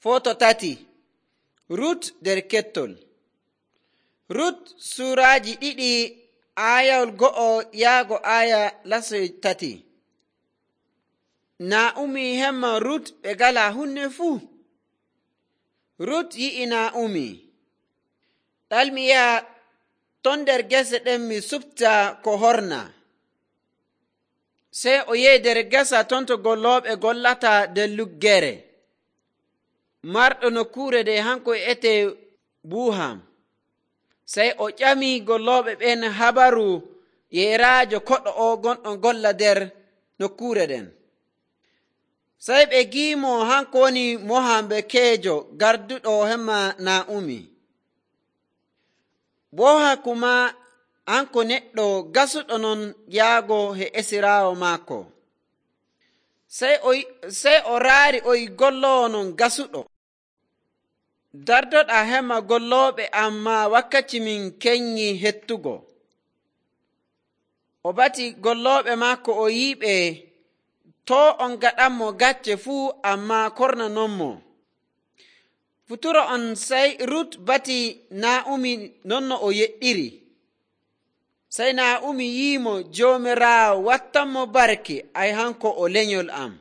Foto tati. Rut nder kettol. Rut suraaji 2 aayawol 1 yaago aaya lasoy 3. Naa'umi hemma Rut ɓe ngalaa hunde fuu. Rut yi'i Naa'umi, ɗalmi yaha ton nder gese ɗen mi supta ko horna. Sey o yehi nder gesa ton to gollooɓe gollata nder luggere. Marɗo nokkuure nde hanko wi'ete Buham. Sey o ƴami gollooɓe ɓen habaru yeeraajo koɗo o gonɗo golla nder nokkuure ɗen. Sey ɓe giimo hanko woni Mohambekeejo garduɗo hemma Naa'umi. Boha kuma hanko neɗɗo gasuɗo non yaago he esiraawo maako. Sey o raari o yi golloowo non gasuɗo. Dardoɗaa hemma gollooɓe amma wakkati min kenyi hettugo. O bati gollooɓe maako o yi'iɓe to on gaɗanmo gacce fuu amma kornanonmo. Futuro on sey Rut bati Naa'umi non no o yeɗɗiri. Sey Naa'umi yi'imo, Joomiraawo wattanmo barke, ay hanko o lenyol am.